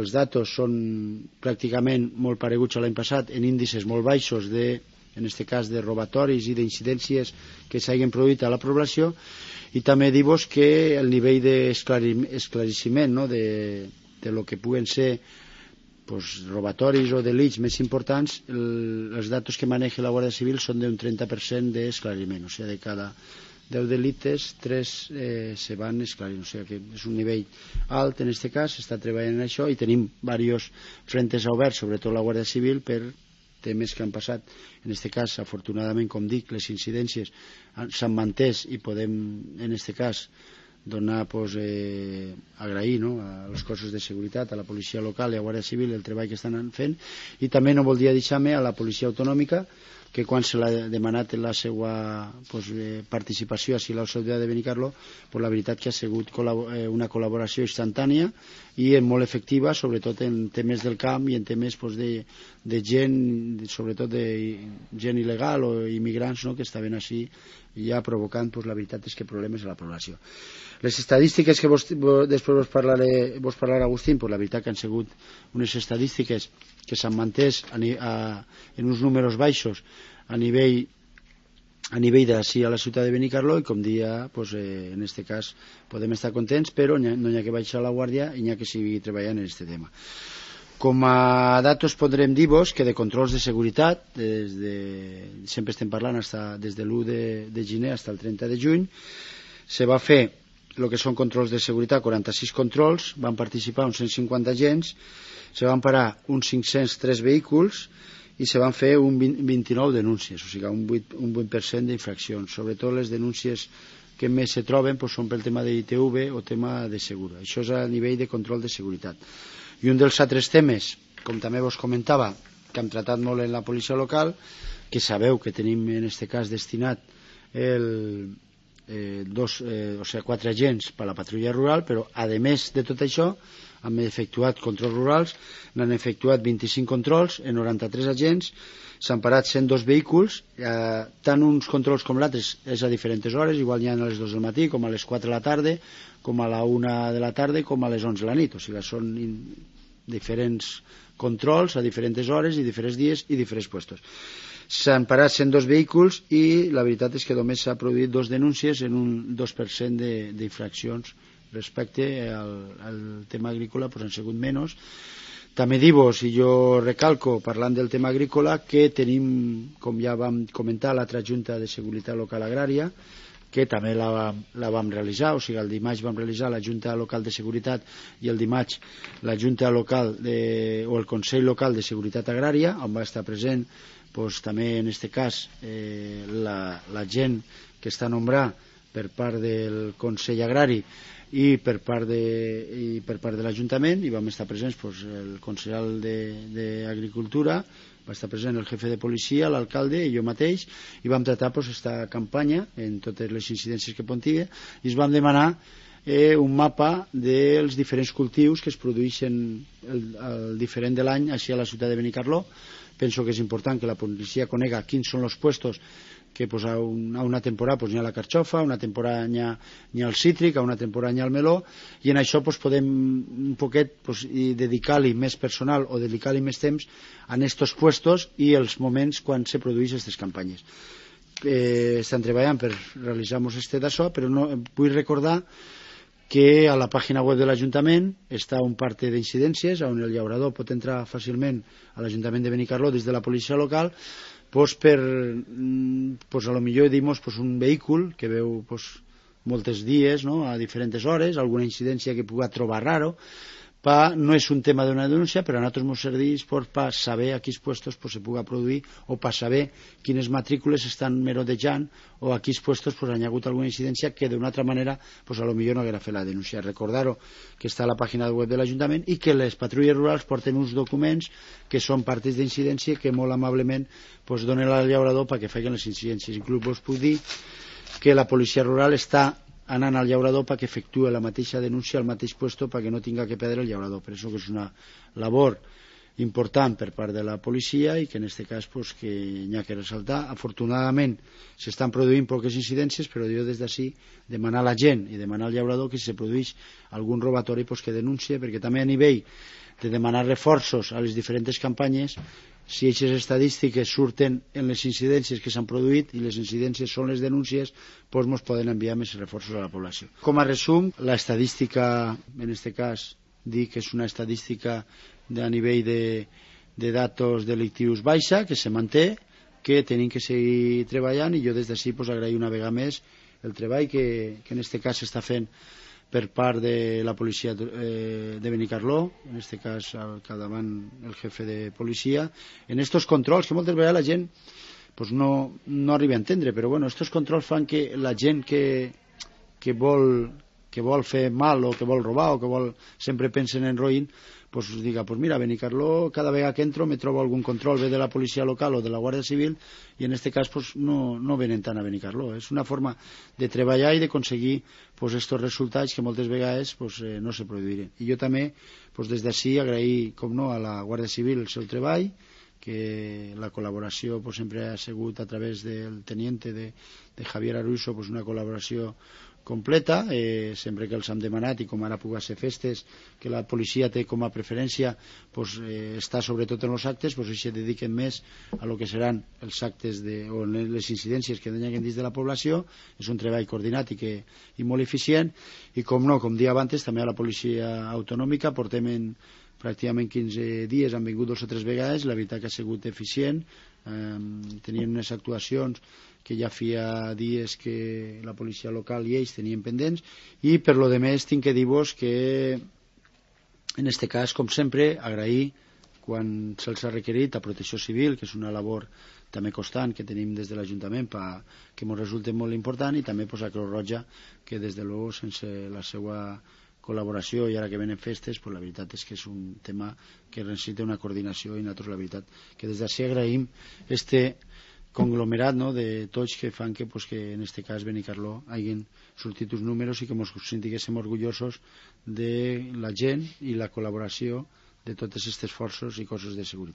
els datos són pràcticament molt pareguts a l'any passat, en índices molt baixos en aquest cas de robatoris i d'incidències que s'hagin produït a la població, i també dir-vos que el nivell d'esclariment de lo que puguen ser robatoris o delits més importants, els datos que maneja la Guàrdia Civil són d'un 30% d'esclariment, o sigui, de cada 10 delites 3 se van esclarir, o sigui que és un nivell alt en aquest cas, s'està treballant en això i tenim diversos frentes oberts, sobretot la Guàrdia Civil, per temes que han passat. En aquest cas, afortunadament, com dic, les incidències s'han mantès i podem, en aquest cas, donar, agrair a els cossos de seguretat, a la policia local i a la Guàrdia Civil el treball que estan fent, i també no voldria deixar-me a la policia autonòmica, que quan se l'ha demanat la seva participació a la ciutat de Benicarló, la veritat que ha sigut una col·laboració instantània i molt efectiva, sobretot en temes del camp i en temes de gent, sobretot de gent il·legal o immigrants que estaven així ja provocant, la veritat és que problemes a la població. Les estadístiques que després vos parlarà Agustín, la veritat que han sigut unes estadístiques que s'han mantès en uns números baixos a nivell d'ací a la ciutat de Benicarló, i com dia, en aquest cas podem estar contents, però no hi ha que baixar la guàrdia i hi ha que seguir treballant en aquest tema. Com a datos podrem dir-vos que de controls de seguretat, sempre estem parlant des de l'1 de gener fins al 30 de juny, se va fer el que són controls de seguretat, 46 controls, van participar uns 150 agents, se van parar uns 503 vehicles i se van fer 29 denúncies, o sigui, un 8% d'infraccions. Sobretot les denúncies que més se troben són pel tema d'ITV o tema de segura. Això és a nivell de control de seguretat. I un dels altres temes, com també vos comentava, que hem tratat molt en la policia local, que sabeu que tenim en aquest cas destinat 4 agents per a la patrulla rural, però a més de tot això hem efectuat controls rurals, n'han efectuat 25 controls en 93 agents, s'han parat 102 vehicles, tant uns controls com l'altres és a diferents hores, igual n'hi ha a les 2 del matí, com a les 4 de la tarda, com a la 1 de la tarda, com a les 11 de la nit, o sigui, són diferents controls a diferents hores i diferents dies i diferents puestos. S'han parat 102 vehicles i la veritat és que només s'ha produït 2 denúncies en un 2% d'infraccions respecte al tema agrícola, han sigut menys. També dir-vos, i jo recalco, parlant del tema agrícola, que tenim, com ja vam comentar, l'altra Junta de Seguretat Local Agrària, que també la vam realitzar, o sigui, el dimarts vam realitzar la Junta Local de Seguretat i el dimarts la Junta Local o el Consell Local de Seguretat Agrària, on va estar present també en aquest cas la gent que està nombrat per part del Consell Agrari i per part de l'Ajuntament, i vam estar presents el consellal d'Agricultura, va estar present el jefe de policia, l'alcalde i jo mateix, i vam tratar aquesta campanya en totes les incidències que pontia, i es vam demanar un mapa dels diferents cultius que es produeixen al diferent de l'any així a la ciutat de Benicarló. Penso que és important que la policia conega quins són els puestos que a una temporada n'hi ha la carxofa, a una temporada n'hi ha el cítric, a una temporada n'hi ha el meló, i en això podem un poquet dedicar-li més personal o dedicar-li més temps a aquests puestos i els moments quan se produeixen aquestes campanyes. Estan treballant per realitzar-nos d'això, però vull recordar que a la pàgina web de l'Ajuntament està un parte d'incidències on el llaurador pot entrar fàcilment a l'Ajuntament de Benicarló des de la policia local per a lo millor dir-nos un vehicle que veu molts dies a diferents hores, alguna incidència que pugui trobar raro. No és un tema d'una denúncia, però a nosaltres ens serveix per saber a quins puestos se pugui produir o per saber quines matrícules estan merodejant o a quins puestos hi ha hagut alguna incidència que d'una altra manera a lo millor no haguera fet la denúncia. Recordar-ho que està a la pàgina web de l'Ajuntament i que les patrulles rurals porten uns documents que són partes d'incidència que molt amablement donen al llaurador perquè facin les incidències. Inclús vos puc dir que la policia rural està anant al llaurador perquè efectue la mateixa denúncia al mateix puesto perquè no tinga que perdre el llaurador. Per això que és una labor important per part de la policia i que en aquest cas que n'hi ha que ressaltar. Afortunadament s'estan produint poques incidències, però jo des d'ací demanar a la gent i demanar al llaurador que si se produeix algun robatori que denuncie, perquè també a nivell demanar reforços a les diferents campanyes. Si aquestes estadístiques surten en les incidències que s'han produït i les incidències són les denúncies, doncs ens poden enviar més reforços a la població. Com a resum, l'estadística, en aquest cas, dic que és una estadística a nivell de datos delictius baixa, que se manté, que tenim que seguir treballant, i jo des d'ací agrair una vegada més el treball que en aquest cas s'està fent per part de la policia de Benicarló, en aquest cas al capdavant el jefe de policia, en estos controls que moltes vegades la gent pues no arriba a entendre, però bueno, estos controls fan que la gent que vol fer mal o que vol robar o que vol sempre pensen en roïn, pues diga, pues mira, a Benicarló cada vegada que entro me trobo algun control, ve de la policia local o de la Guàrdia Civil, i en aquest cas pues no venen tant a Benicarló. És una forma de treballar i d'aconseguir pues estos resultats que moltes vegades pues no se produiren. I jo també pues des d'ací agrair, com no, a la Guàrdia Civil el seu treball, que la col·laboració pues sempre ha sigut a través del teniente de Javier Aruso, pues una col·laboració completa, sempre que els hem demanat, i com ara pugui ser festes, que la policia té com a preferència pues, està sobretot en els actes, pues, se dediquen més a lo que seran els actes o les incidències que hi ha dins de la població. És un treball coordinat i molt eficient, i com no, com dia abans, també a la policia autonòmica portem pràcticament 15 dies, han vingut 2 o 3 vegades, la veritat que ha sigut eficient, tenien unes actuacions que ja feia dies que la policia local i ells tenien pendents, i per lo demés tinc que dir-vos que en aquest cas, com sempre, agrair quan se'ls ha requerit a Protecció Civil, que és una labor també constant que tenim des de l'Ajuntament que ens resulta molt important, i també a Creu Roja, que des de luego sense la seva col·laboració, i ara que venen festes, pues la veritat és que és un tema que necessita una coordinació, i nosaltres la veritat que des d'ací agraïm este conglomerat, no, de tots que fan que en aquest cas Benicarló hagin sortit uns números i que ens sentiguéssim orgullosos de la gent i la col·laboració de totes aquestes forces i cossos de seguretat.